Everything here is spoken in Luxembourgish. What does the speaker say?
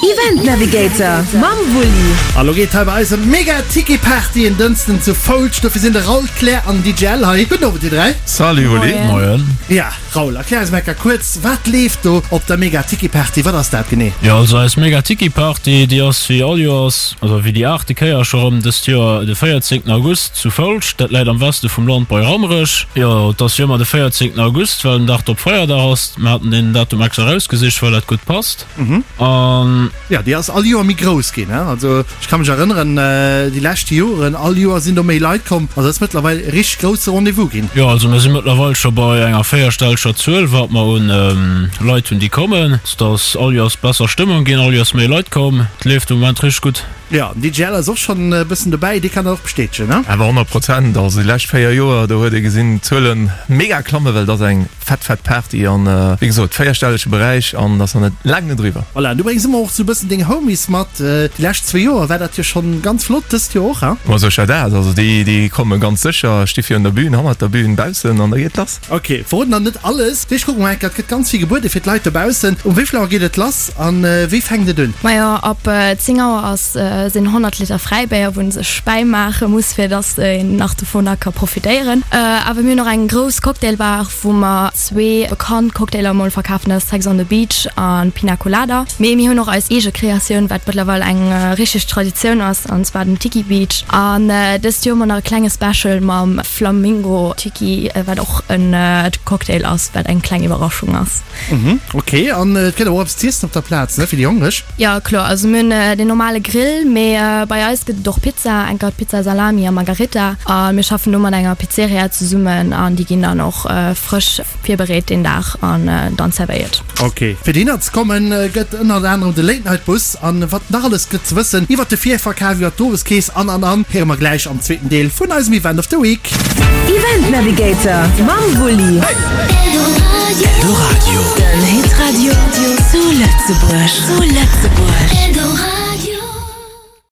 Event Navigator mam Wulli. A lo geet hei bei eis ëm d'Mega Tiki Party en Dënschden zu Foulscht. Dofir sinn de Raoul, d'Claire an den DJ L hei. Gudden Owend dir 3. Salut Wulli. Moien. Ja Raoul, erklär eis mol enker kuerz, wat leeft do op der Mega Tiki Party? Wat ass dat genee? Jo also eis Mega Tiki Party déi ass wéi all Joers, also wéi déi aachte Kéier scho rëm dëst Joer de 14 August zu Foulscht. Dat läit am Weste vum Land bei Rammerech. Jo et ass jo ëmmer de 14 August, well den Dag drop Feierdag ass. Mir haten deen Datum extra erausgesicht, well dat gutt passt. An. Jo, déi ass all Joer méi grouss ginn. Also ech ka mech erënneren, déi lescht Joren, all Joer sinn do méi Leit komm. Also dat ass mëttlerweil e richteg grousse Rendez-vous ginn. Jo, also mir si mëttlerweil scho bei enger véierstelleger Zuel, wat mer un Leit hunn, déi kommen. Et ass all Joers besser Stëmmung ginn, all Joers méi Leit komm. Et leeft de Moment richteg gutt. Jo, den DJ Al ass och schonn e bëssen dobäi, dee kann dat och bestätegen, ne? Awer 100 Prozent, also déi lescht 4 Joer, do huet ee gesinn, d'Zuelen mega klammen, well et ass eng fett, fett Party an wéi gesot, véierstellege Beräich an ass nach net, laang net eriwwer. Voilà, an du bréngs ëmmer och sou e bëssen deng Homies mat. Déi lescht zwee Joer war dat jo schonn ganz flott, dëst Joer och, hein? Ma sécher dat, also déi, déi komme ganz sécher, sti virun der Bühn, hannert der Bühn, baussen an da geet lass. Ok, verroden dann net alles. Ech kucken mol enker, et gëtt ganz vill gebuede fir d'Leit dobaussen. Um wéi vill Auer geet et lass an wéi fänkt et un? Majo, ab 10 Auer ass sinn 100 Liter Fräibéier, wou een sech bäimaache muss, fir dass een nach dovunner ka profitéieren. Awer mir hunn och eng grouss Cocktailbar, wou mer zwee bekannt Cocktailer mol verkafen, dat ass Sex on the Beach an Pina Colada. Mee mir hunn och eis eege Kreatioun, wat mëttlerweil eng richteg Traditioun ass, an zwar den Tiki Beach. An dëst Joer hu mer nach e klenge Special mam Flamingo Tiki, wat och en Cocktail ass, wat eng kleng Iwwerraschung ass. Mhm, ok. An et gëtt awer och eppes z'iessen op der Plaz, ne, fir déi Hongreg? Jo, kloer. Also mir hunn den normale Grill, mee bei eis gëtt et och Pizza, enker Pizza Salami a Margarita. A mir schaffen do mat enger Pizzeria zesummen an déi ginn dann och frësch virbereet deen Dag an dann zerwéiert. Ok. Fir dohinner ze kommen, gëtt ënnert anerem de Late Night Bus an wat nach alles gëtt ze wëssen iwwert de Virverkaf, iwwert d'Oweskeess an an an héiere mer gläich am zweeten Deel vun eisem Event of the Week. Event Navigator mam Wulli. Eldoradio. Den Hitradio zu Lëtzebuerg. Zu Lëtzebuerg.